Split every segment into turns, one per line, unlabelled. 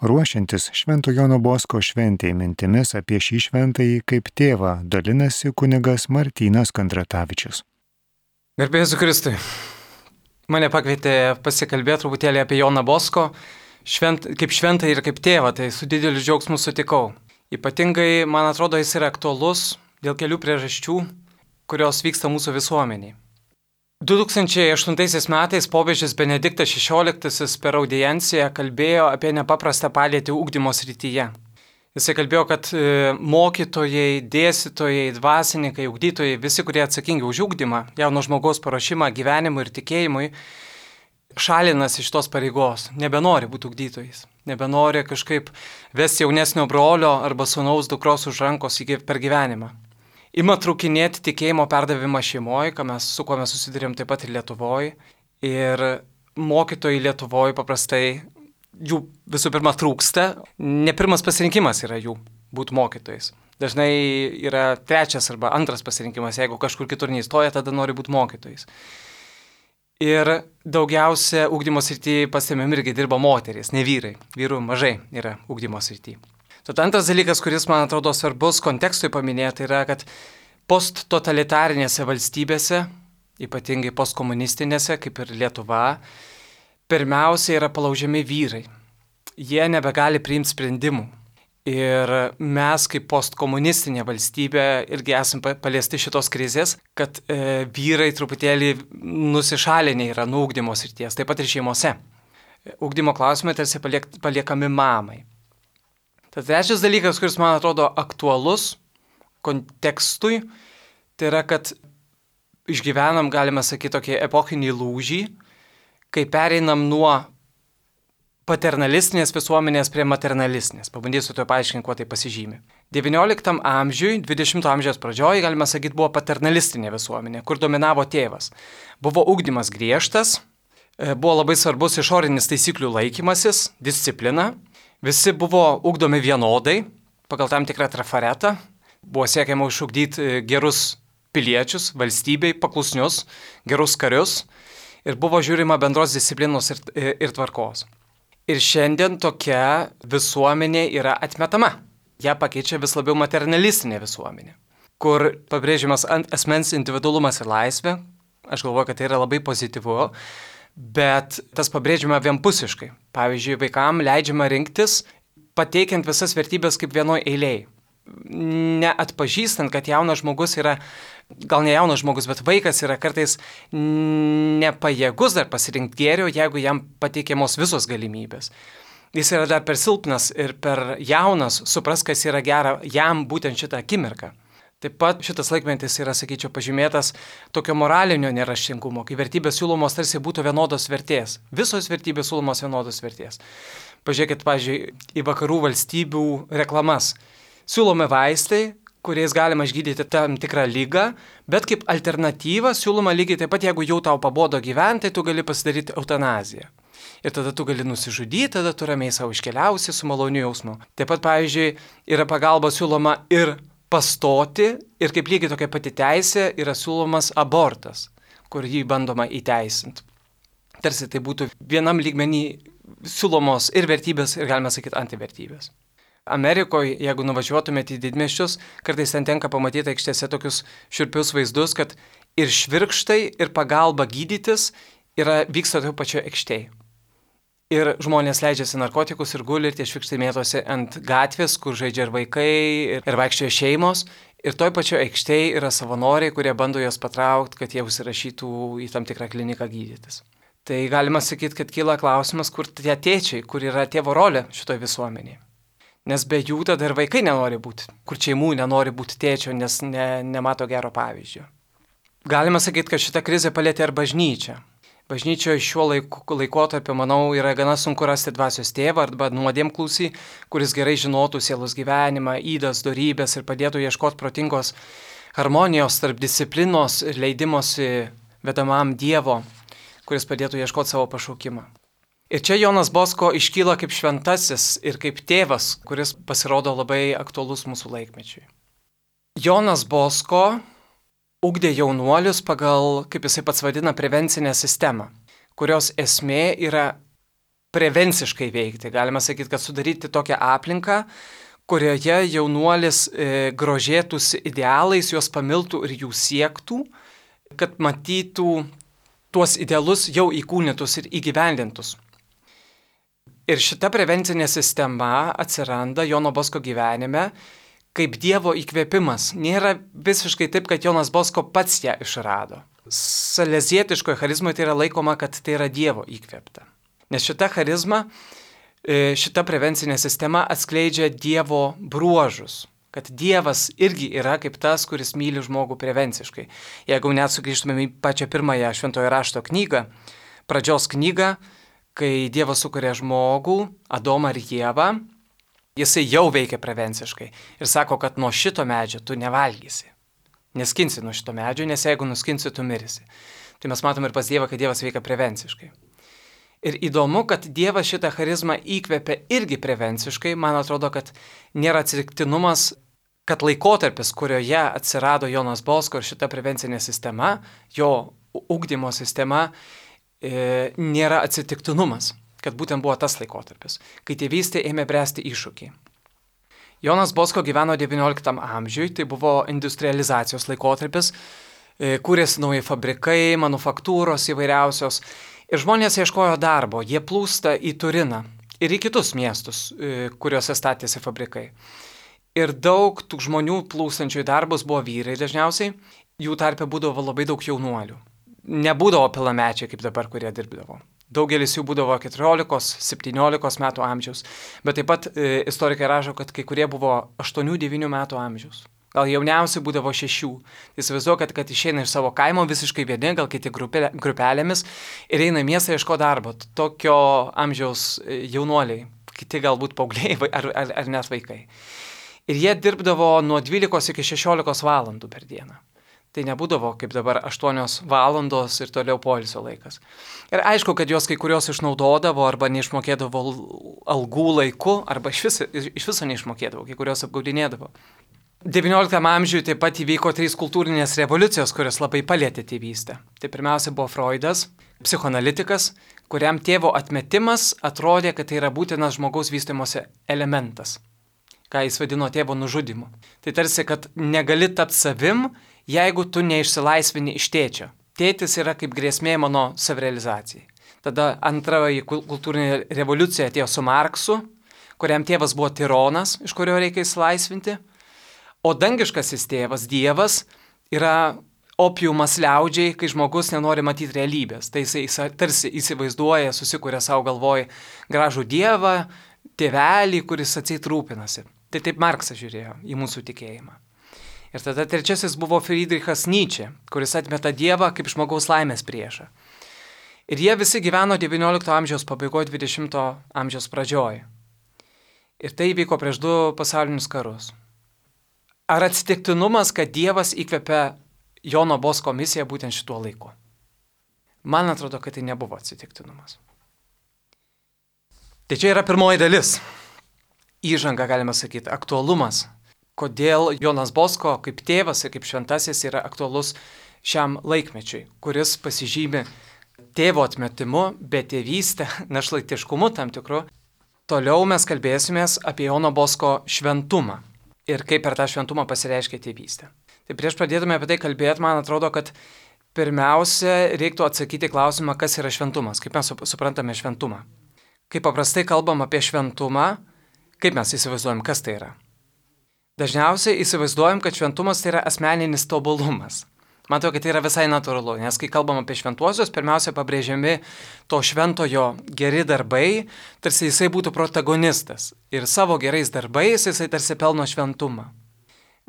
Ruošiantis Švento Jono Bosko šventėj mintimis apie šį šventąjį kaip tėvą dalinasi kunigas Martynas Kandratavičius.
Garbė Jėzui Kristui. Mane pakvietė pasikalbėti truputėlį apie Joną Bosko, kaip šventąjį ir kaip tėvą, tai su dideliu džiaugsmu sutikau. Ypatingai, man atrodo, jis yra aktualus dėl kelių priežasčių, kurios vyksta mūsų visuomeniai. 2008 metais popiežius Benediktas XVI per audienciją kalbėjo apie nepaprastą padėtį ugdymo srityje. Jisai kalbėjo, kad mokytojai, dėstytojai, dvasininkai, ugdytojai, visi, kurie atsakingi už ugdymą, jauno žmogaus paruošimą gyvenimui ir tikėjimui, šalinasi iš tos pareigos, nebenori būti ugdytojais, nebenori kažkaip vesti jaunesnio brolio arba sūnaus dukros už rankos per gyvenimą. Ima trūkinėti tikėjimo perdavimą šeimoje, su kuo mes susidurėm taip pat ir Lietuvoje. Ir mokytojai Lietuvoje paprastai jų visų pirma trūksta. Ne pirmas pasirinkimas yra jų būti mokytojais. Dažnai yra trečias arba antras pasirinkimas. Jeigu kažkur kitur neįstoja, tada nori būti mokytojais. Ir daugiausia ugdymo srityje pastebėm irgi dirba moterys, ne vyrai. Vyrų mažai yra ugdymo srityje. Tad antras dalykas, kuris man atrodo svarbus kontekstui paminėti, yra, kad posttotalitarinėse valstybėse, ypatingai postkomunistinėse, kaip ir Lietuva, pirmiausia yra palaužiami vyrai. Jie nebegali priimti sprendimų. Ir mes kaip postkomunistinė valstybė irgi esame paliesti šitos krizės, kad vyrai truputėlį nusišalinę yra nuo ugdymo srities, taip pat ir šeimose. Ugdymo klausimai tarsi paliekami mamai. Tad trečias dalykas, kuris man atrodo aktualus kontekstui, tai yra, kad išgyvenam, galime sakyti, tokį epochinį lūžį, kai pereinam nuo paternalistinės visuomenės prie maternalistinės. Pabandysiu to paaiškinti, kuo tai pasižymi. XIX amžiui, XX amžiaus pradžioje, galime sakyti, buvo paternalistinė visuomenė, kur dominavo tėvas. Buvo ugdymas griežtas, buvo labai svarbus išorinis taisyklių laikymasis, disciplina. Visi buvo ugdomi vienodai, pagal tam tikrą trafaretą. Buvo siekiama išugdyti gerus piliečius, valstybei, paklusnius, gerus karius. Ir buvo žiūrima bendros disciplinos ir tvarkos. Ir šiandien tokia visuomenė yra atmetama. Ja pakeičia vis labiau maternalistinė visuomenė, kur pabrėžiamas asmens individualumas ir laisvė. Aš galvoju, kad tai yra labai pozityvu. Bet tas pabrėžiama vienpusiškai. Pavyzdžiui, vaikams leidžiama rinktis, pateikiant visas vertybės kaip vienoj eilėje. Neatpažįstant, kad jaunas žmogus yra, gal ne jaunas žmogus, bet vaikas yra kartais nepajėgus dar pasirinkti gėrio, jeigu jam pateikiamos visos galimybės. Jis yra dar per silpnas ir per jaunas, supras, kas yra gera jam būtent šitą akimirką. Taip pat šitas laikmetis yra, sakyčiau, pažymėtas tokio moralinio neraštingumo, kai vertybės siūlomos tarsi būtų vienodos vertės. Visos vertybės siūlomos vienodos vertės. Pažiūrėkit, pavyzdžiui, į vakarų valstybių reklamas. Siūlomi vaistai, kuriais galima išgydyti tam tikrą ligą, bet kaip alternatyva siūloma lygiai taip pat, jeigu jau tau pabodo gyventi, tai tu gali pasidaryti eutanaziją. Ir tada tu gali nusižudyti, tada tu ramiai savo iškeliausi su maloniu jausmu. Taip pat, pavyzdžiui, yra pagalba siūloma ir pastoti ir kaip lygiai tokia pati teisė yra siūlomas abortas, kur jį bandoma įteisinti. Tarsi tai būtų vienam lygmenį siūlomos ir vertybės, ir galime sakyti antivertybės. Amerikoje, jeigu nuvažiuotumėte į didmiesčius, kartais ten tenka pamatyti aikštėse tokius šiurpius vaizdus, kad ir švirkštai, ir pagalba gydytis vyksta toje pačioje aikštėje. Ir žmonės leidžiasi narkotikus ir guli, ir tie švirkštai mėtosi ant gatvės, kur žaidžia ir vaikai, ir vaikščioja šeimos. Ir toj pačioje aikštėje yra savanoriai, kurie bando juos patraukti, kad jie užsirašytų į tam tikrą kliniką gydytis. Tai galima sakyti, kad kyla klausimas, kur tie tėčiai, kur yra tėvo rolė šitoje visuomenėje. Nes be jų tada ir vaikai nenori būti, kur šeimų nenori būti tėčio, nes nemato gero pavyzdžio. Galima sakyti, kad šita krizė palėtė ir bažnyčią. Bažnyčioje šiuo laikotarpiu, manau, yra gana sunku rasti dvasios tėvą arba nuodėmklausį, kuris gerai žinotų sielos gyvenimą, ydas, dorybės ir padėtų ieškoti protingos harmonijos tarp disciplinos ir leidimosi vedamam Dievo, kuris padėtų ieškoti savo pašaukimą. Ir čia Jonas Bosko iškyla kaip šventasis ir kaip tėvas, kuris pasirodo labai aktualus mūsų laikmečiui. Jonas Bosko ugdė jaunuolius pagal, kaip jisai pats vadina, prevencinę sistemą, kurios esmė yra prevenciškai veikti. Galima sakyti, kad sudaryti tokią aplinką, kurioje jaunuolis grožėtųsi idealais, juos pamiltų ir jų siektų, kad matytų tuos idealus jau įkūnytus ir įgyvendintus. Ir šita prevencinė sistema atsiranda Jono Bosko gyvenime kaip Dievo įkvėpimas. Nėra visiškai taip, kad Jonas Bosko pats ją išrado. Salezietiškoje charizmoje tai yra laikoma, kad tai yra Dievo įkvėpta. Nes šita charizma, šita prevencinė sistema atskleidžia Dievo bruožus. Kad Dievas irgi yra kaip tas, kuris myli žmogų prevenciškai. Jeigu net sugrįžtumėm į pačią pirmąją Šventojo rašto knygą, pradžios knygą, kai Dievas sukuria žmogų, Adomą ir Ievą, jisai jau veikia prevenciškai ir sako, kad nuo šito medžio tu nevalgysi. Neskinsi nuo šito medžio, nes jeigu nuskinsi, tu mirisi. Tai mes matome ir pas Dievą, kad Dievas veikia prevenciškai. Ir įdomu, kad Dievas šitą charizmą įkvėpia irgi prevenciškai. Man atrodo, kad nėra atsitiktinumas, kad laikotarpis, kurioje atsirado Jonas Bosko ir šita prevencinė sistema, jo ugdymo sistema, nėra atsitiktinumas, kad būtent buvo tas laikotarpis, kai tėvystė ėmė bręsti iššūkiai. Jonas Bosko gyveno XIX amžiui, tai buvo industrializacijos laikotarpis, kūrėsi nauji fabrikai, manufaktūros įvairiausios ir žmonės ieškojo darbo, jie plūsta į Turiną ir į kitus miestus, kuriuose statėsi fabrikai. Ir daug tų žmonių plūstančių į darbus buvo vyrai dažniausiai, jų tarpe būdavo labai daug jaunuolių. Nebūdavo pilnamečiai kaip dabar, kurie dirbdavo. Daugelis jų būdavo 14-17 metų amžiaus, bet taip pat istorikai rašo, kad kai kurie buvo 8-9 metų amžiaus. Gal jauniausi būdavo 6. Įsivaizduoju, kad išeina iš savo kaimo visiškai vieni, gal kiti grupelėmis ir eina į miestą ieško darbo. Tokio amžiaus jaunuoliai, kiti galbūt paaugliai ar net vaikai. Ir jie dirbdavo nuo 12 iki 16 valandų per dieną. Tai nebūdavo kaip dabar 8 valandos ir toliau poilsio laikas. Ir aišku, kad jos kai kurios išnaudodavo arba neišmokėdavo algų laiku, arba iš viso neišmokėdavo, kai kurios apgaudinėdavo. XIX amžiuje taip pat įvyko 3 kultūrinės revoliucijos, kurios labai palietė tėvystę. Tai pirmiausia buvo Freudas, psichoanalitikas, kuriam tėvo atmetimas atrodė, kad tai yra būtinas žmogaus vystymosi elementas, ką jis vadino tėvo nužudymu. Tai tarsi, kad negali tapti savim, jeigu tu neišsilaisvini iš tėčio. Tėtis yra kaip grėsmė mano savirealizacijai. Tada antroji kultūrinė revoliucija atėjo su Marksu, kuriam tėvas buvo tironas, iš kurio reikia išsilaisvinti. O dangiškasis tėvas, Dievas, yra opiumas liaudžiai, kai žmogus nenori matyti realybės. Tai jisai tarsi įsivaizduoja, susikuria savo galvoj gražų Dievą, tėvelį, kuris atseit rūpinasi. Tai taip Marksas žiūrėjo į mūsų tikėjimą. Ir tada trečiasis buvo Friedrichas Nyčė, kuris atmeta Dievą kaip žmogaus laimės priešą. Ir jie visi gyveno XIX amžiaus pabaigoje, XX amžiaus pradžioje. Ir tai vyko prieš 2 pasaulinius karus. Ar atsitiktinumas, kad Dievas įkvėpė Jono Bosko misiją būtent šituo laiku? Man atrodo, kad tai nebuvo atsitiktinumas. Tai čia yra pirmoji dalis. Įžanga, galima sakyti, aktualumas. Kodėl Jonas Bosko kaip tėvas ir kaip šventasis yra aktualus šiam laikmečiui, kuris pasižymi tėvo atmetimu, betėvystę, našlaitiškumu tam tikru. Toliau mes kalbėsimės apie Jono Bosko šventumą ir kaip per tą šventumą pasireiškia tėvystė. Tai prieš pradėtume apie tai kalbėti, man atrodo, kad pirmiausia reiktų atsakyti klausimą, kas yra šventumas, kaip mes suprantame šventumą. Kai paprastai kalbam apie šventumą, kaip mes įsivaizduojam, kas tai yra? Dažniausiai įsivaizduojam, kad šventumas tai yra asmeninis tobulumas. Matau, kad tai yra visai natūralu, nes kai kalbam apie šventuosius, pirmiausia pabrėžiami to šventojo geri darbai, tarsi jisai būtų protagonistas. Ir savo gerais darbais jisai tarsi pelno šventumą.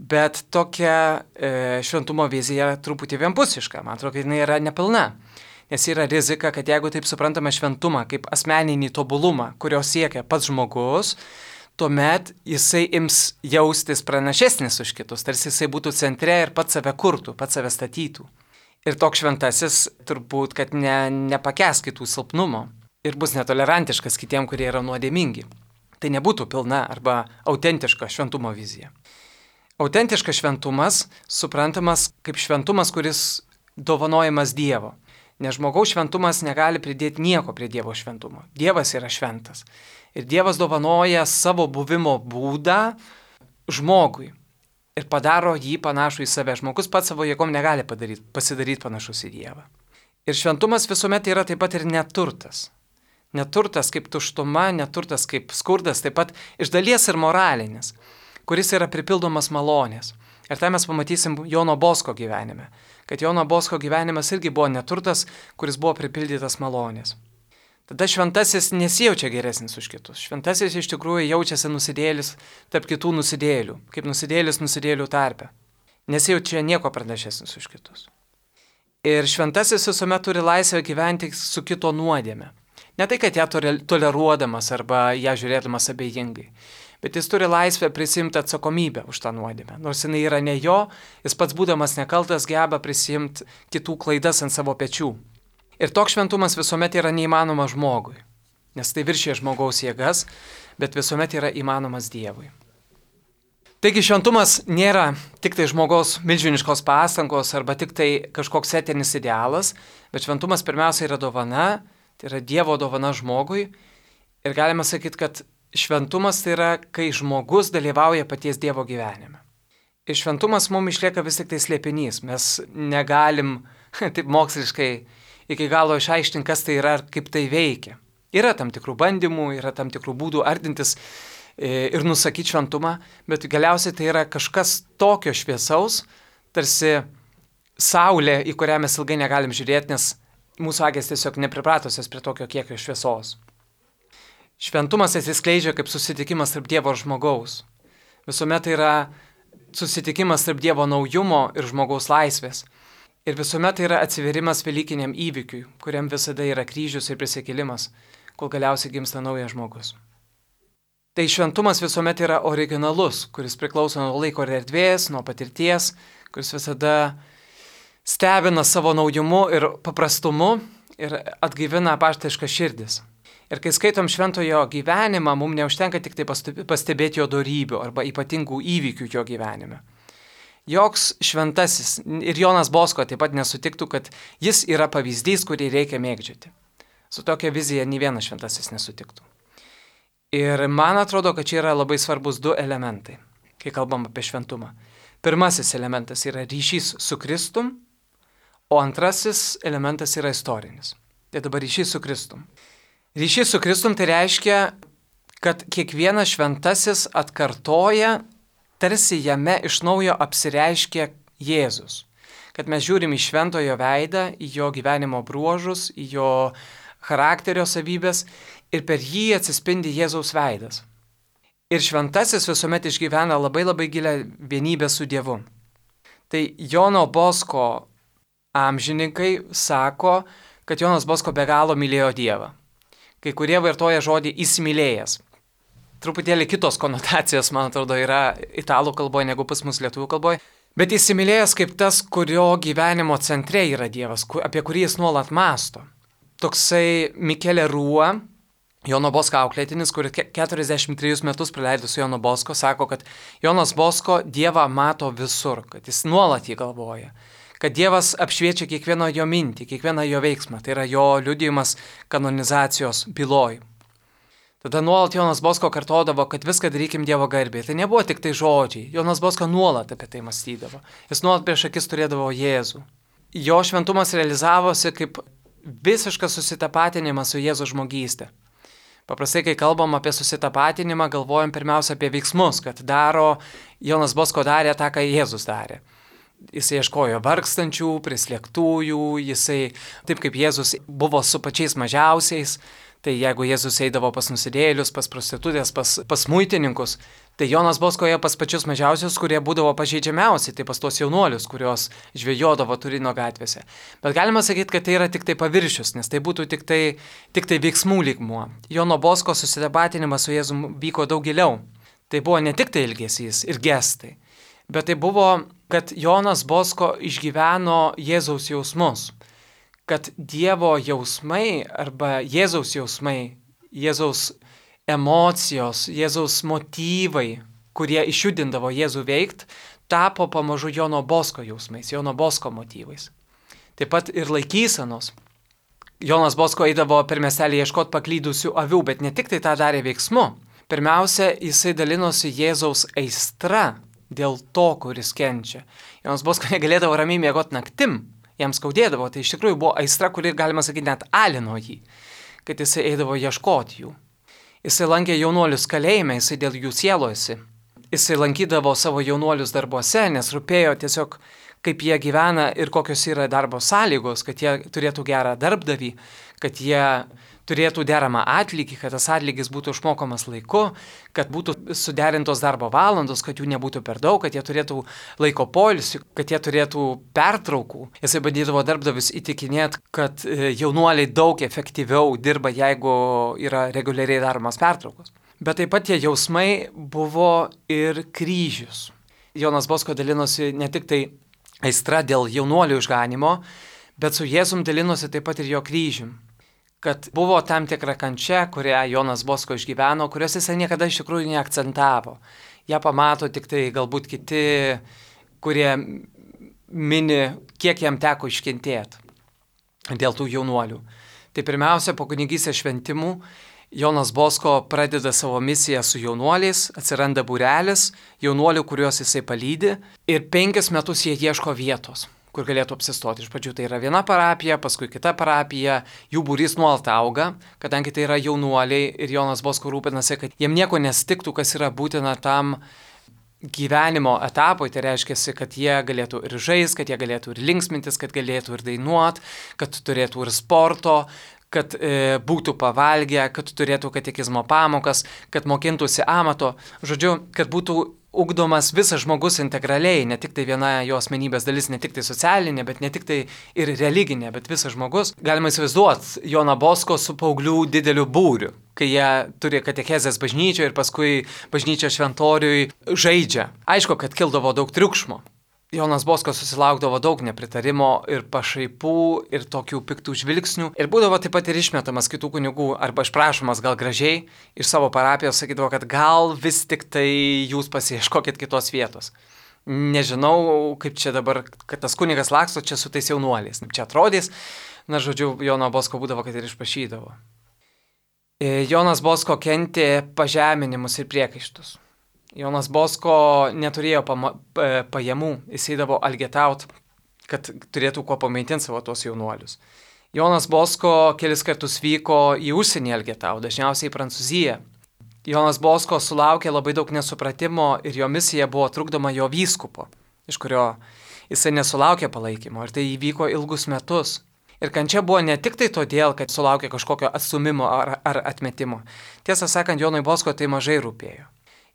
Bet tokia šventumo vizija truputį vienpusiška. Man atrodo, kad jinai yra nepilna. Nes yra rizika, kad jeigu taip suprantame šventumą kaip asmeninį tobulumą, kurio siekia pats žmogus, tuomet jisai ims jaustis pranašesnis už kitus, tarsi jisai būtų centre ir pats save kurtų, pats save statytų. Ir toks šventasis turbūt, kad nepakęs kitų silpnumo ir bus netolerantiškas kitiem, kurie yra nuodėmingi. Tai nebūtų pilna arba autentiška šventumo vizija. Autentiškas šventumas suprantamas kaip šventumas, kuris dovanojamas Dievo. Nes žmogaus šventumas negali pridėti nieko prie Dievo šventumo. Dievas yra šventas. Ir Dievas dovanoja savo buvimo būdą žmogui. Ir padaro jį panašų į save. Žmogus pats savo jėgom negali pasidaryti panašus į Dievą. Ir šventumas visuomet yra taip pat ir neturtas. Neturtas kaip tuštuma, neturtas kaip skurdas, taip pat iš dalies ir moralinis, kuris yra pripildomas malonės. Ir tai mes pamatysim Jono Bosko gyvenime, kad Jono Bosko gyvenimas irgi buvo neturtas, kuris buvo pripildytas malonės. Tada šventasis nesijaučia geresnis už kitus. Šventasis iš tikrųjų jaučiasi nusidėlis tarp kitų nusidėlių, kaip nusidėlis nusidėlių tarpe. Nesijaučia nieko pranašesnis už kitus. Ir šventasis visuomet turi laisvę gyventi su kito nuodėme. Ne tai, kad ją toleruodamas arba ją žiūrėdamas abejingai, bet jis turi laisvę prisimti atsakomybę už tą nuodėmę. Nors jinai yra ne jo, jis pats būdamas nekaltas geba prisimti kitų klaidas ant savo pečių. Ir toks šventumas visuomet yra neįmanomas žmogui, nes tai viršė žmogaus jėgas, bet visuomet yra įmanomas Dievui. Taigi šventumas nėra tik tai žmogaus milžiniškos pastangos arba tik tai kažkoks etinis idealas, bet šventumas pirmiausia yra dovana, tai yra Dievo dovana žmogui. Ir galima sakyti, kad šventumas tai yra, kai žmogus dalyvauja paties Dievo gyvenime. Ir šventumas mums išlieka vis tik tai slėpinys. Mes negalim taip moksliškai iki galo išaiškinti, kas tai yra ir kaip tai veikia. Yra tam tikrų bandymų, yra tam tikrų būdų ardintis ir nusakyti šventumą, bet galiausiai tai yra kažkas tokio šviesaus, tarsi saulė, į kurią mes ilgai negalim žiūrėti, nes mūsų akys tiesiog nepripratusios prie tokio kiekio šviesos. Šventumas atsiskleidžia kaip susitikimas tarp Dievo ir žmogaus. Visuomet tai yra susitikimas tarp Dievo naujumo ir žmogaus laisvės. Ir visuomet tai yra atsiverimas velykiniam įvykiui, kuriam visada yra kryžius ir prisikėlimas, kol galiausiai gimsta naujas žmogus. Tai šventumas visuomet yra originalus, kuris priklauso nuo laiko ir erdvės, nuo patirties, kuris visada stebina savo naujumu ir paprastumu ir atgaivina apaštališkas širdis. Ir kai skaitom šventojo gyvenimą, mums neužtenka tik tai pastebėti jo dorybių arba ypatingų įvykių jo gyvenime. Joks šventasis ir Jonas Bosko taip pat nesutiktų, kad jis yra pavyzdys, kurį reikia mėgdžioti. Su tokia vizija nei vienas šventasis nesutiktų. Ir man atrodo, kad čia yra labai svarbus du elementai, kai kalbam apie šventumą. Pirmasis elementas yra ryšys su Kristum, o antrasis elementas yra istorinis. Tai dabar ryšys su Kristum. Ryšys su Kristum tai reiškia, kad kiekvienas šventasis atkartoja, tarsi jame iš naujo apsireiškia Jėzus. Kad mes žiūrim į šventojo veidą, į jo gyvenimo bruožus, į jo charakterio savybės ir per jį atsispindi Jėzaus veidas. Ir šventasis visuomet išgyvena labai labai gilią vienybę su Dievu. Tai Jono Bosko amžininkai sako, kad Jonas Bosko be galo mylėjo Dievą. Kai kurie vartoja žodį įsimylėjęs. Truputėlį kitos konotacijos, man atrodo, yra italų kalboje negu pas mus lietuvių kalboje. Bet įsimylėjęs kaip tas, kurio gyvenimo centre yra Dievas, apie kurį jis nuolat mąsto. Toksai Mikelė Rua, Jono Bosko auklėtinis, kuris 43 metus praleido su Jono Bosko, sako, kad Jonas Bosko Dievą mato visur, kad jis nuolat jį galvoja. Kad Dievas apšviečia kiekvieną jo mintį, kiekvieną jo veiksmą. Tai yra jo liudijimas kanonizacijos byloj. Tada nuolat Jonas Bosko kartodavo, kad viską darykim Dievo garbei. Tai nebuvo tik tai žodžiai. Jonas Bosko nuolat apie tai mąstydavo. Jis nuolat prieš akis turėdavo Jėzų. Jo šventumas realizavosi kaip visiškas susitapatinimas su Jėzaus žmogystė. Paprastai, kai kalbam apie susitapatinimą, galvojam pirmiausia apie veiksmus, kad Jonas Bosko darė tą, ką Jėzus darė. Jisai ieškojo vargstančių, prislėgtųjų, jisai, taip kaip Jėzus buvo su pačiais mažiausiais, tai jeigu Jėzus eidavo pas nusidėjėlius, pas prostitutės, pas muitininkus, tai Jonas Bosko ėjo pas pačius mažiausius, kurie būdavo pažeidžiamiausi, tai pas tos jaunuolius, kurios žvejodavo Turino gatvėse. Bet galima sakyti, kad tai yra tik tai paviršius, nes tai būtų tik tai veiksmų lygmuo. Jono Bosko susitapatinimas su Jėzum vyko daug giliau. Tai buvo ne tik tai ilgesys ir gestai, bet tai buvo, kad Jonas Bosko išgyveno Jėzaus jausmus. Kad Dievo jausmai arba Jėzaus jausmai, Jėzaus emocijos, Jėzaus motyvai, kurie išjudindavo Jėzų veikti, tapo pamažu Jono Bosko jausmais, Jono Bosko motyvais. Taip pat ir laikysenos. Jonas Bosko eidavo per miestelį ieškoti paklydusių avių, bet ne tik tai tą darė veiksmu. Pirmiausia, jisai dalinosi Jėzaus aistra dėl to, kuris kenčia. Jonas Bosko negalėdavo ramiai miegoti naktim, jam skaudėdavo, tai iš tikrųjų buvo aistra, kuri, galima sakyti, net alino jį, kad jisai eidavo ieškoti jų. Jisai lankė jaunuolius kalėjime, jisai dėl jų sielojosi. Jisai lankydavo savo jaunuolius darbuose, nes rūpėjo tiesiog, kaip jie gyvena ir kokios yra darbo sąlygos, kad jie turėtų gerą darbdavį, kad jie turėtų deramą atlygį, kad tas atlygis būtų išmokomas laiku, kad būtų suderintos darbo valandos, kad jų nebūtų per daug, kad jie turėtų laiko poilsį, kad jie turėtų pertraukų. Jisai bandydavo darbdavius įtikinėti, kad jaunuoliai daug efektyviau dirba, jeigu yra reguliariai daromas pertraukos. Bet taip pat tie jausmai buvo ir kryžius. Jonas Bosko dalinosi ne tik tai aistra dėl jaunuolių išganimo, bet su Jėzum dalinosi taip pat ir jo kryžium. Kad buvo tam tikra kančia, kurią Jonas Bosko išgyveno, kurios jisai niekada iš tikrųjų neakcentavo. Ja pamato tik tai galbūt kiti, kurie mini, kiek jam teko iškentėti dėl tų jaunuolių. Tai pirmiausia, po kunigystės šventimų Jonas Bosko pradeda savo misiją su jaunuoliais, atsiranda būrelis jaunuolių, kuriuos jisai palydi, ir 5 metus jie ieško vietos, kur galėtų apsistoti. Iš pradžių tai yra viena parapija, paskui kita parapija, jų būrys nuolat auga, kadangi tai yra jaunuoliai ir Jonas Bosko rūpinasi, kad jiem nieko nestiktų, kas yra būtina tam gyvenimo etapui, tai reiškia, kad jie galėtų ir žaisti, kad jie galėtų ir linksmintis, kad galėtų ir dainuoti, kad turėtų ir sporto, kad būtų pavalgę, kad turėtų katekizmo pamokas, kad mokintųsi amato, žodžiu, kad būtų ugdomas visas žmogus integraliai, ne tik tai viena jo asmenybės dalis, ne tik tai socialinė, bet ne tik tai ir religinė, bet visas žmogus. Galima įsivaizduoti Joną Bosko su paauglių dideliu būriu, kai jie turi katekezės bažnyčioje ir paskui bažnyčios šventoriui žaidžia. Aišku, kad kildavo daug triukšmo. Jonas Bosko susilaukdavo daug nepritarimo ir pašaipų, ir tokių piktų žvilgsnių. Ir būdavo taip pat ir išmetamas kitų kunigų, arba išprašomas gal gražiai iš savo parapijos, sakydavo, kad gal vis tik tai jūs pasiieškokit kitos vietos. Nežinau, kaip čia dabar, kad tas kunigas laksto čia su tais jaunuoliais. Čia atrodys, na žodžiu, Jono Bosko būdavo, kad ir išprašydavo. Jonas Bosko kentė pažeminimus ir priekaištus. Jonas Bosko neturėjo pajamų, jis eidavo algetaut, kad turėtų kuo pamaitinti savo tuos jaunuolius. Jonas Bosko kelis kartus vyko į užsienį algetaut, dažniausiai į Prancūziją. Jonas Bosko sulaukė labai daug nesupratimo ir jo misija buvo trukdoma jo vyskupo, iš kurio jisai nesulaukė palaikymo, ir tai įvyko ilgus metus. Ir kančia buvo ne tik tai todėl, kad sulaukė kažkokio atstumimo ar atmetimo. Tiesą sakant, Jonui Bosko tai mažai rūpėjo.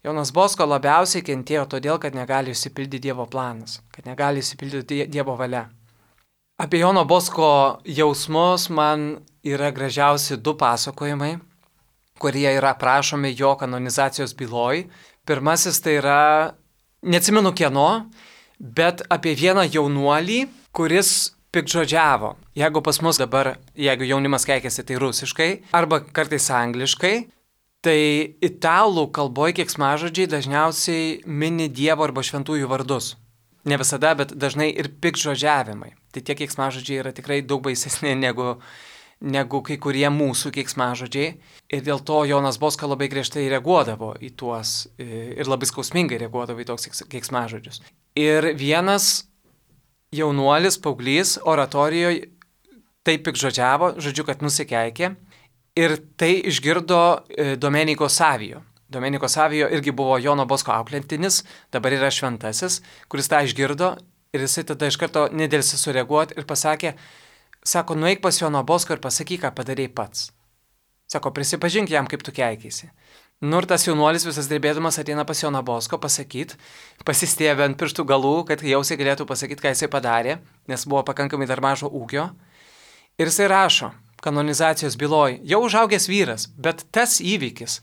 Jonas Bosko labiausiai kentėjo todėl, kad negali išsipildyti Dievo planas, kad negali išsipildyti Dievo valia. Apie Jono Bosko jausmus man yra gražiausi 2 pasakojimai, kurie yra aprašomi jo kanonizacijos byloj. Pirmasis tai yra, neatsimenu kieno, bet apie vieną jaunuolį, kuris piktžodžiavo. Jeigu pas mus dabar, jeigu jaunimas keikiasi, tai rusiškai, arba kartais angliškai, tai italų kalboje keiksmažodžiai dažniausiai mini Dievo arba šventųjų vardus. Ne visada, bet dažnai ir piktžodžiavimai. Tai tie keiksmažodžiai yra tikrai daug baisesni negu kai kurie mūsų keiksmažodžiai. Ir dėl to Jonas Bosko labai griežtai reaguodavo į tuos ir labai skausmingai reaguodavo į toks keiksmažodžius. Ir vienas jaunuolis, paauglys, oratorijoje taip piktžodžiavo, žodžiu, kad nusikeikė. Ir tai išgirdo Domenico Savio. Domenico Savio irgi buvo Jono Bosko auklėtinis, dabar yra šventasis, kuris tą išgirdo ir jisai tada iš karto nedėlsi sureaguoti ir pasakė, sako, nueik pas Jono Bosko ir pasakyk, ką padarei pats. Sako, prisipažink jam, kaip tu keikeisi. Nu ir tas jaunuolis visas drebėdamas ateina pas Joną Bosko pasakyti, pasistėbė ant pirštų galų, kad jausiai galėtų pasakyti, ką jisai padarė, nes buvo pakankamai dar mažo ūgio. Ir jisai rašo kanonizacijos byloj, jau užaugęs vyras, bet tas įvykis,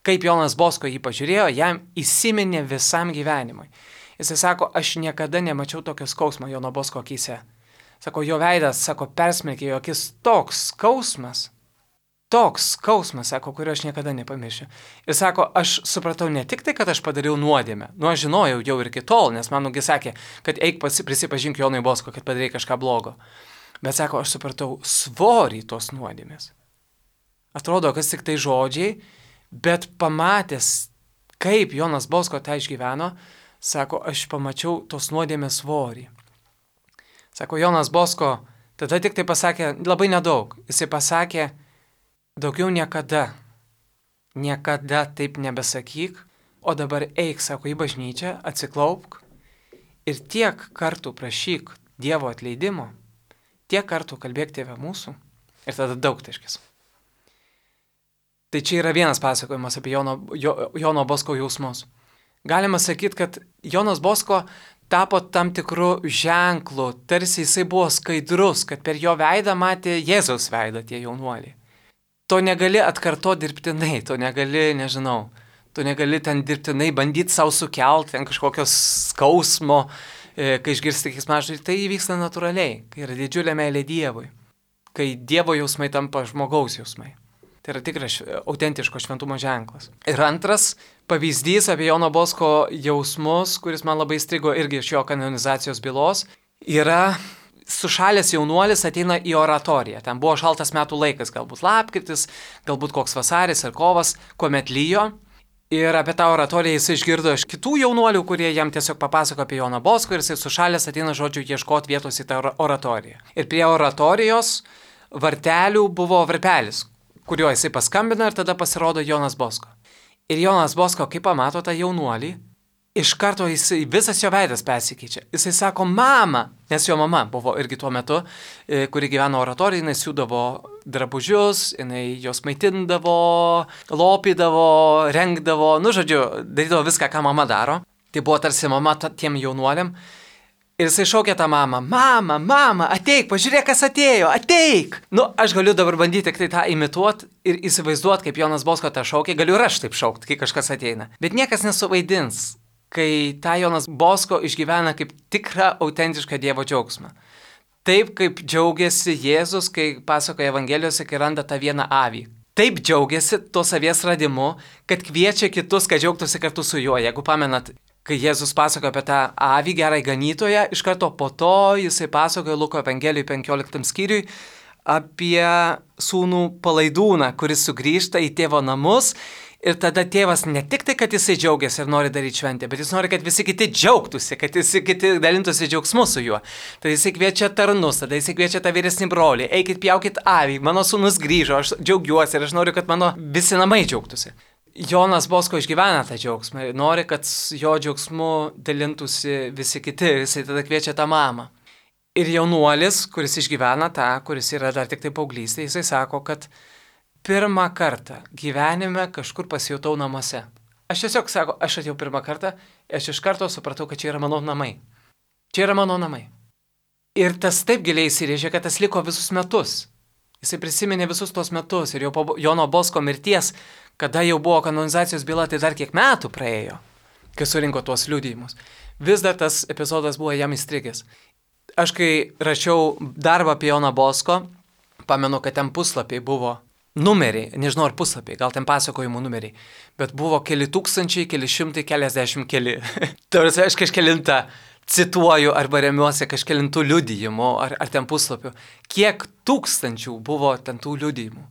kaip Jonas Bosko jį pažiūrėjo, jam įsiminė visam gyvenimui. Jisai sako, aš niekada nemačiau tokio skausmo Jono Bosko akyse. Sako, jo veidas, sako, persmelkė jo akis toks skausmas, sako, kurio aš niekada nepamiršiu. Ir sako, aš supratau ne tik tai, kad aš padariau nuodėmę, aš žinojau jau ir iki tol, nes manugi sakė, kad eik prisipažink Jonui Bosko, kad padarai kažką blogo. Bet sako, aš supratau svorį tos nuodėmės. Atrodo, kas tik tai žodžiai, bet pamatęs, kaip Jonas Bosko tą išgyveno, sako, aš pamačiau tos nuodėmės svorį. Sako, Jonas Bosko tada tik tai pasakė labai nedaug. Jisai pasakė, daugiau niekada taip nebesakyk, o dabar eik, sako, į bažnyčią, atsiklaupk ir tiek kartų prašyk Dievo atleidimo, tiek kartų kalbėk Tėve mūsų ir tada daugtaškis. Tai čia yra vienas pasakojimas apie Jono Bosko jausmus. Galima sakyti, kad Jonas Bosko tapo tam tikru ženklu, tarsi jisai buvo skaidrus, kad per jo veidą matė Jėzaus veidą tie jaunuoliai. To negali atkartoti dirbtinai, to negali ten dirbtinai bandyti savo sukelti, ten kažkokios skausmo, kai išgirsti keiksmažodį, tai įvyksta natūraliai, kai yra didžiulė meilė Dievui, kai Dievo jausmai tampa žmogaus jausmai. Tai yra tikras autentiško šventumo ženklas. Ir antras pavyzdys apie Jono Bosko jausmus, kuris man labai įstrigo irgi iš jo kanonizacijos bylos, yra sušalęs jaunuolis ateina į oratoriją. Ten buvo šaltas metų laikas, galbūt lapkritis, galbūt koks vasaris ar kovas, kuomet lyjo. Ir apie tą oratoriją jis išgirdo iš kitų jaunuolių, kurie jam tiesiog papasako apie Joną Bosko ir jis sušalęs ateina, žodžiu, ieškoti vietos į tą oratoriją. Ir prie oratorijos vartelių buvo varpelis, kuriuo jisai paskambina ir tada pasirodo Jonas Bosko. Ir Jonas Bosko, kai pamato tą jaunuolį, iš karto visas jo veidas persikeičia. Jisai sako, mama, nes jo mama buvo irgi tuo metu, kuri gyveno oratorijoje, jinai siūdavo drabužius, jinai jos maitindavo, lopydavo, rengdavo, darydavo viską, ką mama daro. Tai buvo tarsi mama tiem jaunuoliam. Ir jisai šaukė tą mamą, mama, ateik, pažiūrėk, kas atėjo, ateik. Aš galiu dabar bandyti tik tai tą imituoti ir įsivaizduoti, kaip Jonas Bosko tą šaukė, galiu ir aš taip šaukti, kai kažkas ateina. Bet niekas nesuvaidins, kai tą Jonas Bosko išgyvena kaip tikrą autentišką Dievo džiaugsmą. Taip kaip džiaugiasi Jėzus, kai pasakoja Evangelijose, kai randa tą vieną avį. Taip džiaugiasi to savies radimu, kad kviečia kitus, kad džiaugtųsi kartu su juo. Jeigu pamenat, kai Jėzus pasakoja apie tą avį, gerai ganytoją, iš karto po to jisai pasakoja Luko Evangelijai 15 skyriui apie sūnų palaidūną, kuris sugrįžta į tėvo namus. Ir tada tėvas ne tik tai, kad jisai džiaugiasi ir nori daryti šventę, bet jis nori, kad visi kiti džiaugtųsi, kad visi kiti dalintųsi džiaugsmu su juo. Tada jisai kviečia tarnus, tada jisai kviečia tą vyresnį brolį, eikit pjaukit avį, mano sūnus grįžo, aš džiaugiuosi ir aš noriu, kad mano visi namai džiaugtųsi. Jonas Bosko išgyvena tą džiaugsmą ir nori, kad jo džiaugsmu dalintųsi visi kiti ir jisai tada kviečia tą mamą. Ir jaunuolis, kuris išgyvena tą, kuris yra dar tik tai paauglystė, jisai sako, kad pirmą kartą gyvenime kažkur pasijutau namuose. Aš tiesiog sako, aš atėjau pirmą kartą, aš iš karto supratau, kad čia yra mano namai. Čia yra mano namai. Ir tas taip giliai įsirėžė, kad tas liko visus metus. Jisai prisiminė visus tos metus ir jau po Jono Bosko mirties, kada jau buvo kanonizacijos byla, tai dar kiek metų praėjo, kai surinko tuos liudijimus. Vis dar tas epizodas buvo jam įstrigęs. Aš kai rašiau darbą apie Joną Bosko, pamenu, kad ten puslapiai buvo numeriai, nežinau ar puslapiai, gal ten pasakojimų numeriai, bet buvo keli tūkstančiai, keli šimtai, keliasdešimt keli. Tarsi aš kažkelintą cituoju arba remiuosi kažkelintų liudijimų ar ten puslapių. Kiek tūkstančių buvo ten tų liudijimų?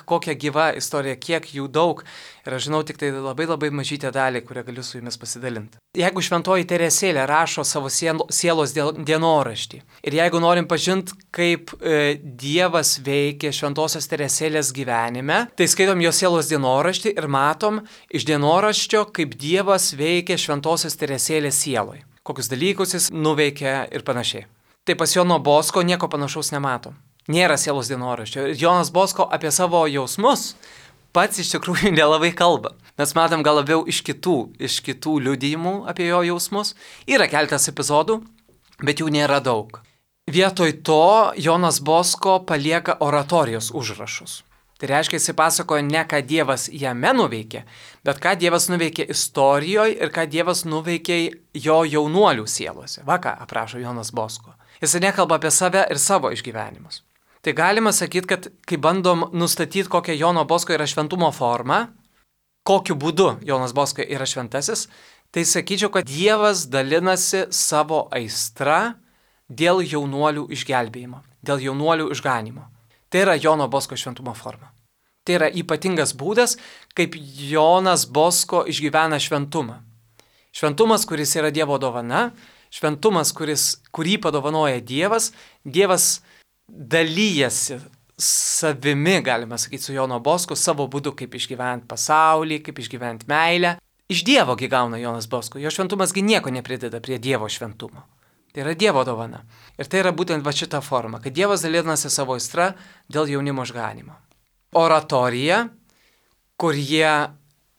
Kokia gyva istorija, kiek jų daug. Ir aš žinau tik tai labai mažytę dalį, kurią galiu su jumis pasidalinti. Jeigu šventoji Teresėlė rašo savo sielos dienoraštį ir jeigu norim pažinti, kaip Dievas veikia šventosios Teresėlės gyvenime, tai skaitom jos sielos dienoraštį ir matom iš dienoraščio, kaip Dievas veikia šventosios Teresėlės sieloj. Kokius dalykus jis nuveikia ir panašiai. Tai pas Jono Bosko nieko panašaus nematom. Nėra sielos dienoraščio. Jonas Bosko apie savo jausmus pats iš tikrųjų nelabai kalba. Mes matom gal labiau iš kitų liudijimų apie jo jausmus. Yra keletas epizodų, bet jų nėra daug. Vietoj to Jonas Bosko palieka oratorijos užrašus. Tai reiškia, jis pasakoja ne ką Dievas jame nuveikė, bet ką Dievas nuveikė istorijoje ir ką Dievas nuveikė jo jaunuolių sielose. Va ką aprašo Jonas Bosko. Jis nekalba apie save ir savo išgyvenimus. Tai galima sakyti, kad kai bandom nustatyti, kokia Jono Bosko yra šventumo forma, kokiu būdu Jonas Bosko yra šventasis, tai sakyčiau, kad Dievas dalinasi savo aistra dėl jaunuolių išgelbėjimo, dėl jaunuolių išganimo. Tai yra Jono Bosko šventumo forma. Tai yra ypatingas būdas, kaip Jonas Bosko išgyvena šventumą. Šventumas, kuris yra Dievo dovana, šventumas, kurį padovanoja Dievas, Dievas dalyjasi savimi, galima sakyti, su Jono Bosku, savo būdu, kaip išgyventi pasaulį, kaip išgyventi meilę. Iš Dievo gi gauna Jonas Bosko, jo šventumasgi nieko neprideda prie Dievo šventumo. Tai yra Dievo dovana. Ir tai yra būtent šita forma, kad Dievas dalinasi savo aistra dėl jaunimo išganimo. Oratorija, kur jie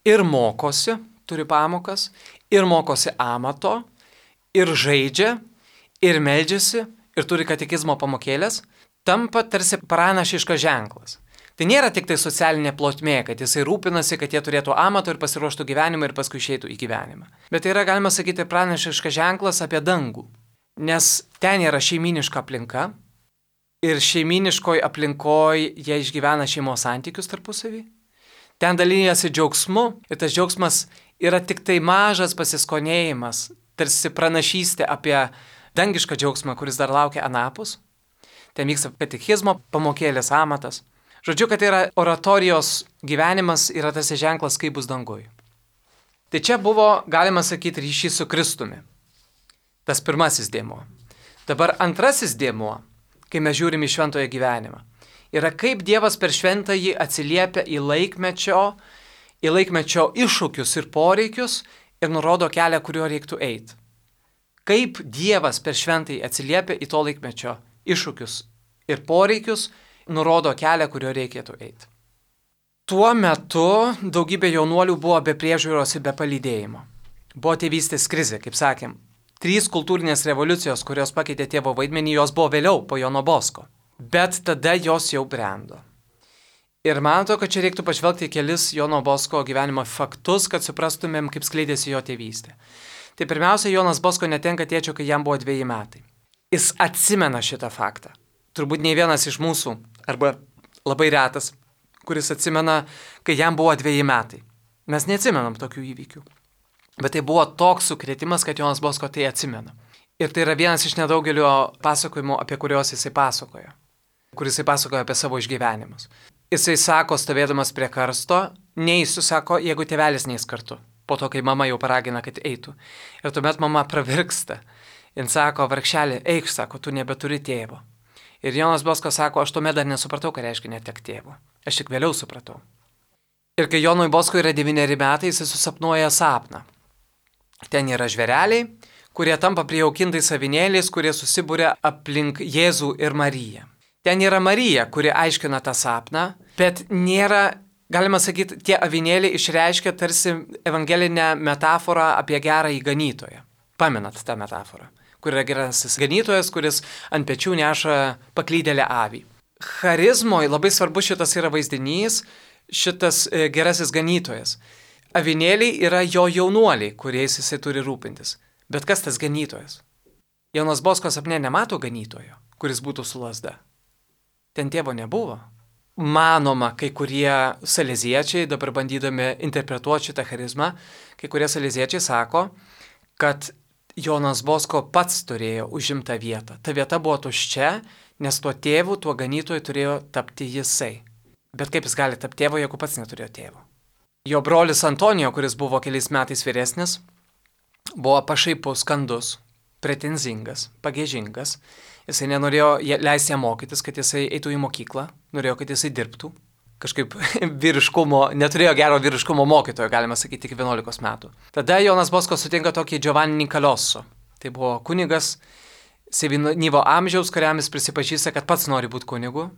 ir mokosi, turi pamokas, ir mokosi amato, ir žaidžia, ir meldžiasi, ir turi katekizmo pamokėlės, tampa tarsi pranašiškas ženklas. Tai nėra tik tai socialinė plotmė, kad jisai rūpinasi, kad jie turėtų amato ir pasiruoštų gyvenimą ir paskui išeitų į gyvenimą. Bet tai yra, galima sakyti, pranašiškas ženklas apie dangų. Nes ten yra šeiminiška aplinka ir šeiminiškoj aplinkoje jie išgyvena šeimos santykius tarpusavį. Ten dalyjasi džiaugsmu ir tas džiaugsmas yra tik tai mažas pasiskonėjimas, tarsi pranašystė apie dangišką džiaugsmą, kuris dar laukia anapus. Ten vyksta katekizmo pamokėlės amatas. Žodžiu, kad tai yra oratorijos gyvenimas, yra tas ženklas, kaip bus dangui. Tai čia buvo, galima sakyti, ryšys su Kristumi. Tas pirmasis dėmuo. Dabar antrasis dėmuo, kai mes žiūrime į šventojo gyvenimą, yra kaip Dievas per šventąjį atsiliepia į laikmečio iššūkius ir poreikius ir nurodo kelią, kuriuo reiktų eiti. Kaip Dievas per šventąjį atsiliepia į to laikmečio iššūkius ir poreikius, nurodo kelią, kuriuo reikėtų eiti. Tuo metu daugybė jaunuolių buvo be priežiūros ir be palydėjimo. Buvo tėvystės krizė, kaip sakėm. 3 kultūrinės revoliucijos, kurios pakeitė tėvo vaidmenį, jos buvo vėliau po Jono Bosko. Bet tada jos jau brendo. Ir man atrodo, kad čia reiktų pažvelgti į kelis Jono Bosko gyvenimo faktus, kad suprastumėm, kaip skleidėsi jo tėvystė. Tai pirmiausia, Jonas Bosko netenka tėčio, kai jam buvo 2 metai. Jis atsimena šitą faktą. Turbūt nei vienas iš mūsų, arba labai retas, kuris atsimena, kai jam buvo 2 metai. Mes neatsimenam tokių įvykių. Bet tai buvo toks sukrėtimas, kad Jonas Bosko tai atsimena. Ir tai yra vienas iš nedaugelio pasakojimų, apie kuriuos jisai pasakoja. Kur jisai pasakoja apie savo išgyvenimus. Jisai sako, stovėdamas prie karsto, neįsiu, sako, jeigu tėvelis neis kartu. Po to, kai mama jau paragina, kad eitų. Ir tuomet mama pravirksta. Jis sako, vargšelė, eik, sako, tu nebeturi tėvo. Ir Jonas Bosko sako, aš tuomet dar nesupratau, ką reiškia netek tėvo. Aš tik vėliau supratau. Ir kai Jonui Bosko yra 9 metai, jis susapnuoja sapną. Ten yra žvėreliai, kurie tampa prijaukintais avinėliais, kurie susibūrė aplink Jėzų ir Mariją. Ten yra Marija, kuri aiškina tą sapną, bet nėra, galima sakyti, tie avinėliai išreiškia tarsi evangelinę metaforą apie gerąjį ganytoją. Pamenat tą metaforą, kur yra gerasis ganytojas, kuris ant pečių neša paklydėlę avį. Charizmoje labai svarbus šitas yra vaizdinys, šitas gerasis ganytojas. Avinėliai yra jo jaunuoliai, kuriais jisai turi rūpintis. Bet kas tas ganytojas? Jonas Bosko sapne nemato ganytojo, kuris būtų su lazda. Ten tėvo nebuvo. Manoma, kai kurie saleziečiai, dabar bandydami interpretuoti šitą charizmą, kai kurie saleziečiai sako, kad Jonas Bosko pats turėjo užimtą vietą. Ta vieta buvo tuščia, nes tuo tėvu, tuo ganytoju turėjo tapti jisai. Bet kaip jis gali tapti tėvo, jeigu pats neturėjo tėvo? Jo brolis Antonijo, kuris buvo keliais metais vyresnis, buvo pašaipus, skandus, pretenzingas, pagėžingas. Jisai nenorėjo leisti jam mokytis, kad jisai eitų į mokyklą, norėjo, kad jisai dirbtų. Kažkaip neturėjo gero vyriškumo mokytojo, galima sakyti, iki 11 metų. Tada Jonas Bosko sutinka tokį Giovanni Nicaloso. Tai buvo kunigas, sevynyvo amžiaus, kuriam jis prisipažįsta, kad pats nori būti kunigu.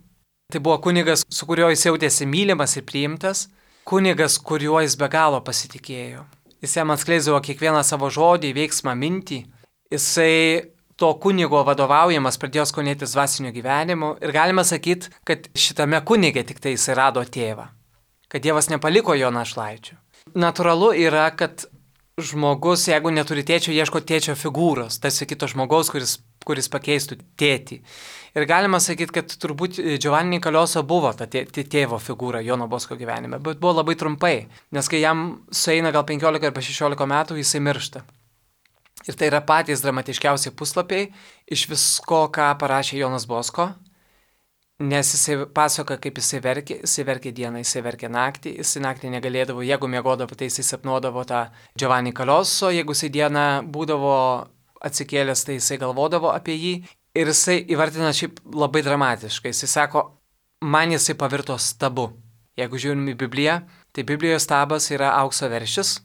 Tai buvo kunigas, su kuriuo jis jautėsi mylimas ir priimtas. Kunigas, kuriuo jis be galo pasitikėjo. Jis jam atskleisdavo kiekvieną savo žodį, veiksmą, mintį. Jisai to kunigo vadovaujamas pradėjo skonėtis dvasinio gyvenimu ir galima sakyti, kad šitame kunige tik tai jisai rado tėvą. Kad Dievas nepaliko jo našlaičių. Natūralu yra, kad žmogus, jeigu neturi tėčio, ieško tėčio figūros, tarsi kito žmogaus, kuris pakeistų tėtį. Ir galima sakyti, kad turbūt Giovanni Nicaloso buvo ta tėvo figūra Jono Bosko gyvenime, bet buvo labai trumpai, nes kai jam sueina gal 15 arba 16 metų, jisai miršta. Ir tai yra patys dramatiškiausi puslapiai iš visko, ką parašė Jonas Bosko, Nes jisai pasakoja, kaip jisai verkė dieną, jisai verkė naktį, jisai naktį negalėdavo, jeigu miegodavo, tai jisai sapnuodavo tą Giovanni Kaloso, jeigu jisai dieną būdavo atsikėlęs, tai jisai galvodavo apie jį. Ir jisai įvardina šiaip labai dramatiškai, jisai sako, man jisai pavirto stabu. Jeigu žiūrim į Bibliją, tai Biblijoje stabas yra aukso veršis,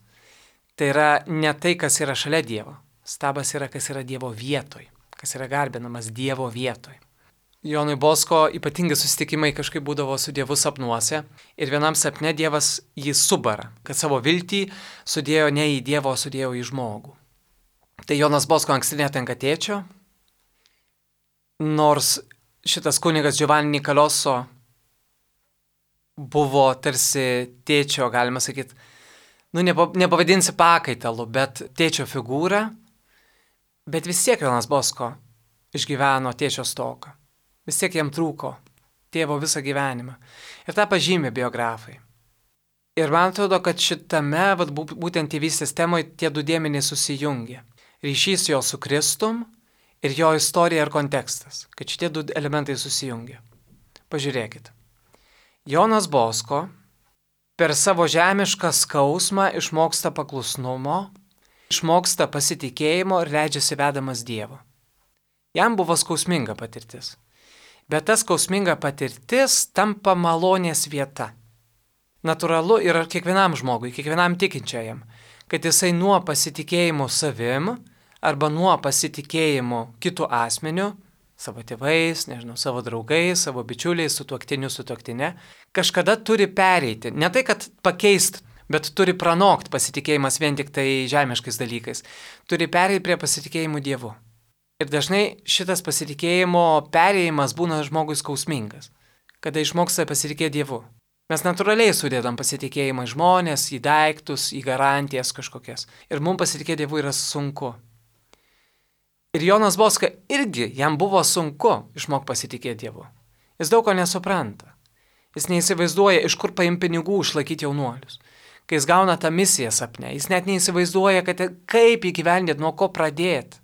tai yra ne tai, kas yra šalia Dievo. Stabas yra, kas yra Dievo vietoj, kas yra garbinamas Dievo vietoj. Jonui Bosko ypatingai susitikimai kažkaip būdavo su Dievu sapnuose ir vienam sapne Dievas jį subara, kad savo viltį sudėjo ne į Dievą, o sudėjo į žmogų. Tai Jonas Bosko anksti netenka tėčio, nors šitas kunigas Giovanni Kaloso buvo tarsi tėčio, galima sakyti, nepavadinsi pakaitalu, bet tėčio figūra, bet vis tiek Jonas Bosko išgyveno tėčio stoką. Vis tiek jam trūko tėvo visą gyvenimą. Ir tą pažymė biografai. Ir man atrodo, kad šitame, būtent tėvystės temoje, tie du dėmenys susijungia. Ryšys jo su Kristum ir jo istorija ir kontekstas. Kad šitie du elementai susijungia. Pažiūrėkit. Jonas Bosko per savo žemišką skausmą išmoksta paklusnumo, išmoksta pasitikėjimo ir leidžiasi vedamas Dievo. Jam buvo skausminga patirtis. Bet ta skausminga patirtis tampa malonės vieta. Natūralu yra kiekvienam žmogui, kiekvienam tikinčiajam, kad jisai nuo pasitikėjimo savim arba nuo pasitikėjimo kitų asmenių, savo tėvais, savo draugais, savo bičiuliais, sutuoktinė, kažkada turi pereiti. Ne tai, kad pakeist, bet turi pranokti pasitikėjimas vien tik tai žemiškais dalykais. Turi pereiti prie pasitikėjimų Dievu. Ir dažnai šitas pasitikėjimo perėjimas būna žmogui skausmingas, kada išmoksta pasitikėti Dievu. Mes natūraliai sudėdam pasitikėjimą į žmonės, į daiktus, į garantijas kažkokias. Ir mums pasitikėti Dievu yra sunku. Ir Jonas Bosko irgi, jam buvo sunku išmokti pasitikėti Dievu. Jis daug ko nesupranta. Jis neįsivaizduoja, iš kur paimti pinigų išlaikyti jaunuolius. Kai jis gauna tą misiją sapne, jis net neįsivaizduoja, kaip įgyvendinti, nuo ko pradėti.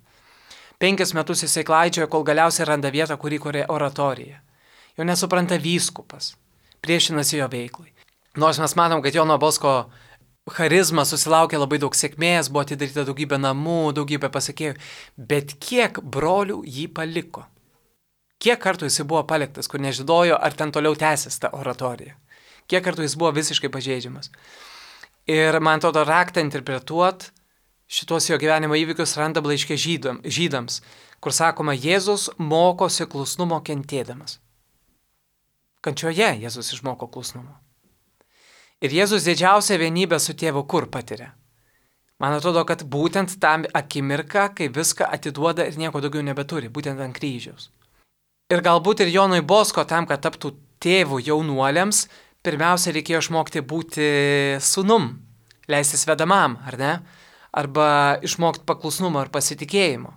5 metus jisai klaidžioja, kol galiausiai randa vietą, kurį kuria oratoriją. Jo nesupranta vyskupas, priešinasi jo veiklai. Nors mes matom, kad Jono Bosko charizma susilaukė labai daug sėkmės, buvo atidaryta daugybė namų, daugybė pasakėjų, bet kiek brolių jį paliko? Kiek kartų jisai buvo paliktas, kur nežinojo, ar ten toliau tęsis ta oratorija? Kiek kartų jis buvo visiškai pažeidžiamas? Ir man atrodo, raktą interpretuot šitos jo gyvenimo įvykius randa laiške žydams, kur sakoma, Jėzus mokosi klusnumo kentėdamas. Kančioje Jėzus išmoko klusnumo. Ir Jėzus didžiausią vienybę su tėvu kur patiria? Man atrodo, kad būtent tam akimirką, kai viską atiduoda ir nieko daugiau nebeturi, būtent ant kryžiaus. Ir galbūt ir Jonui Bosko tam, kad taptų tėvų jaunuoliams, pirmiausia reikėjo išmokti būti sūnum, leistis vedamam, ar ne? Arba išmokti paklusnumo ir pasitikėjimo.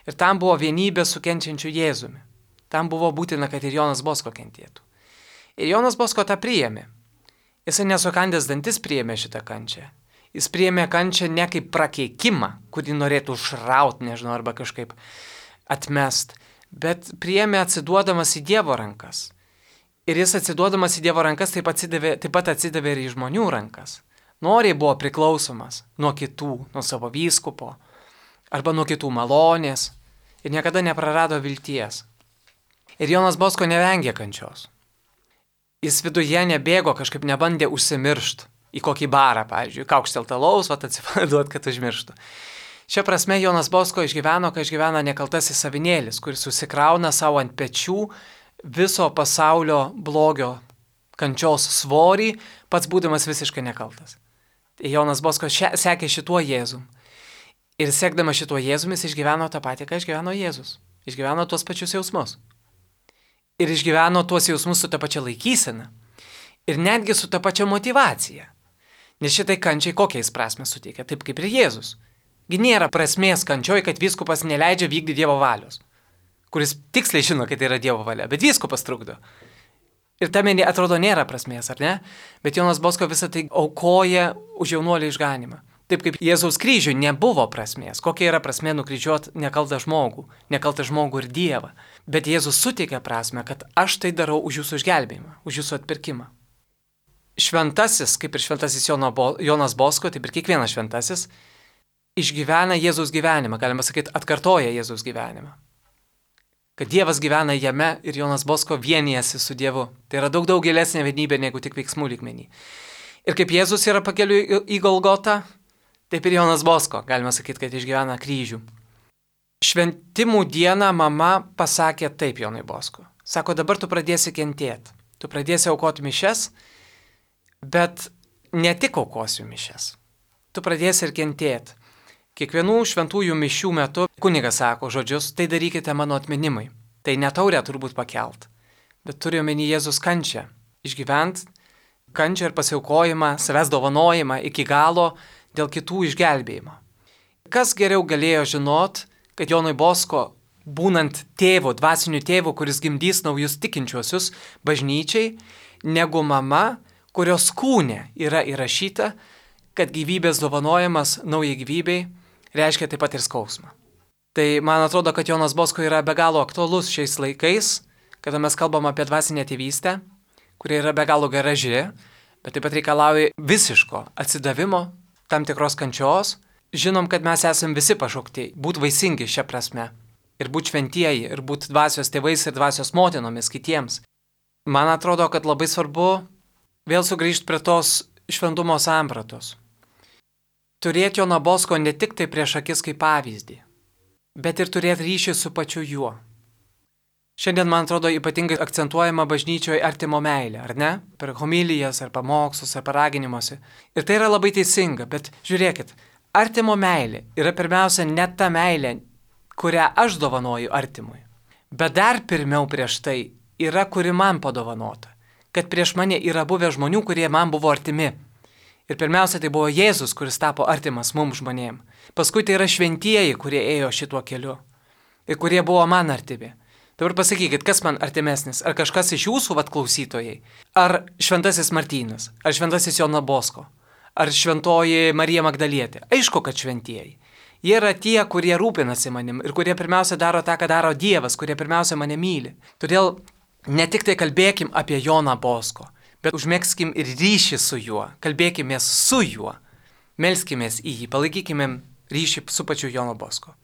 Ir tam buvo vienybė su kenčiančiu Jėzumi. Tam buvo būtina, kad ir Jonas Bosko kentėtų. Ir Jonas Bosko tą priėmė. Jisai nesukandęs dantis priėmė šitą kančią. Jis priėmė kančią ne kaip prakeikimą, kurį norėtų užrauti, arba kažkaip atmest, bet priėmė atsiduodamas į Dievo rankas. Ir jis atsiduodamas į Dievo rankas taip pat atsidavė ir į žmonių rankas. Noriai buvo priklausomas nuo kitų, nuo savo vyskupo, arba nuo kitų malonės ir niekada neprarado vilties. Ir Jonas Bosko nevengė kančios. Jis viduje nebėgo, kažkaip nebandė užsimiršti į kokį barą, pavyzdžiui, kaukšteltą alaus, atsipalaiduot, kad užmirštų. Šia prasme Jonas Bosko išgyveno, kai išgyvena nekaltasis avinėlis, kuris susikrauna savo ant pečių viso pasaulio blogio kančios svorį, pats būdamas visiškai nekaltas. Jonas Bosko sekė šituo Jėzum. Ir sekdamas šituo Jėzum jis išgyveno tą patį, ką išgyveno Jėzus. Išgyveno tuos pačius jausmus. Ir išgyveno tuos jausmus su ta pačia laikysena. Ir netgi su ta pačia motivacija. Nes šitai kančiai kokiais prasme suteikia, taip kaip ir Jėzus. Gi nėra prasmės kančioj, kad vyskupas neleidžia vykdyti Dievo valios. Kuris tiksliai žino, kad tai yra Dievo valia, bet vyskupas trukdo. Ir tame atrodo nėra prasmės, ar ne? Bet Jonas Bosko visą tai aukoja už jaunuolį išganimą. Taip kaip Jėzaus kryžiui nebuvo prasmės. Kokia yra prasmė nukryžiuoti nekaltą žmogų ir Dievą. Bet Jėzus suteikia prasme, kad aš tai darau už jūsų išgelbėjimą, už jūsų atpirkimą. Šventasis, kaip ir šventasis Jonas Bosko, taip ir kiekvienas šventasis, išgyvena Jėzaus gyvenimą, galima sakyti, atkartoja Jėzaus gyvenimą. Kad Dievas gyvena jame ir Jonas Bosko vienijasi su Dievu. Tai yra daug gilesnė vienybė negu tik veiksmų lygmenį. Ir kaip Jėzus yra pakeliui į Golgotą, taip ir Jonas Bosko, galima sakyti, kad išgyvena kryžių. Šventimų dieną mama pasakė taip Jonui Bosko. Sako, dabar tu pradėsi kentėti. Tu pradėsi aukoti mišes, bet ne tik aukosiu mišes. Tu pradėsi ir kentėti. Kiekvienų šventųjų mišių metu kunigas sako žodžius, tai darykite mano atminimui. Tai ne taurę turbūt pakelt, bet turi omeny Jėzus kančią. Išgyvent kančią ir pasiaukojimą, savęs dovanojimą iki galo dėl kitų išgelbėjimo. Kas geriau galėjo žinot, kad Jonui Bosko, būnant tėvu, dvasiniu tėvu, kuris gimdys naujus tikinčiuosius bažnyčiai, negu mama, kurios kūne yra įrašyta, kad gyvybės dovanojimas naujai gyvybei reiškia taip pat ir skausmą. Tai man atrodo, kad Jonas Bosko yra be galo aktualus šiais laikais, kada mes kalbam apie dvasinę tėvystę, kuri yra be galo graži, bet taip pat reikalauja visiško atsidavimo, tam tikros kančios. Žinom, kad mes esame visi pašaukti būti vaisingi šią prasme ir būti šventieji, ir būti dvasios tėvais ir dvasios motinomis kitiems. Man atrodo, kad labai svarbu vėl sugrįžti prie tos šventumo sampratos. Turėti Joną Bosko ne tik tai prieš akis kaip pavyzdį, bet ir turėti ryšį su pačiu juo. Šiandien, man atrodo, ypatingai akcentuojama bažnyčioje artimo meilė, ar ne? Per homilijas, ar pamokslus, ar paraginimuose. Ir tai yra labai teisinga, bet žiūrėkit, artimo meilė yra pirmiausia ne ta meilė, kurią aš dovanoju artimui. Bet dar pirmiau prieš tai yra, kuri man padovanota. Kad prieš mane yra buvę žmonių, kurie man buvo artimi. Ir pirmiausia, tai buvo Jėzus, kuris tapo artimas mums žmonėm. Paskui tai yra šventieji, kurie ėjo šituo keliu. Ir kurie buvo man artimi. Dabar pasakykit, kas man artimesnis? Ar kažkas iš jūsų, klausytojai? Ar šventasis Martynas? Ar šventasis Jonas Bosko? Ar šventoji Marija Magdalietė? Aišku, kad šventieji. Jie yra tie, kurie rūpinasi manim ir kurie pirmiausia daro tą, ką daro Dievas, kurie pirmiausia mane myli. Todėl ne tik tai kalbėkim apie Joną Bosko, bet užmėgskim ir ryšį su juo, kalbėkimės su juo, melskimės į jį, palaikykime ryšį su pačiu Jonu Bosko.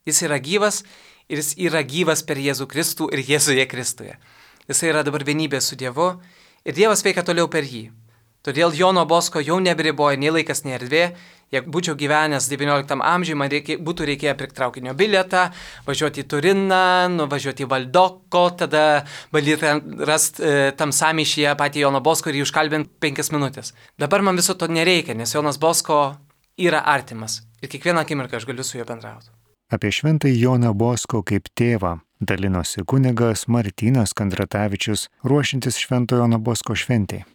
Jis yra gyvas ir jis yra gyvas per Jėzų Kristų ir Jėzuje Kristuje. Jis yra dabar vienybė su Dievu ir Dievas veikia toliau per jį. Todėl Jono Bosko jau neberiboja nei laikas, nei erdvė. Jeigu būčiau gyvenęs XIX amžiuje, man būtų reikėję pirkti traukinio bilietą, važiuoti į Turiną, nuvažiuoti į Valdoko, tada bandyti rasti tam sąmyšyje patį Jono Bosko ir jį užkalbinti 5 minutės. Dabar man viso to nereikia, nes Jonas Bosko yra artimas ir kiekvieną akimirką aš galiu su juo bendrauti.
Apie šventąjį Joną Bosko kaip tėvą dalinosi kunigas Martynas Kandratavičius, ruošiantis Šventojo Jono Bosko šventei.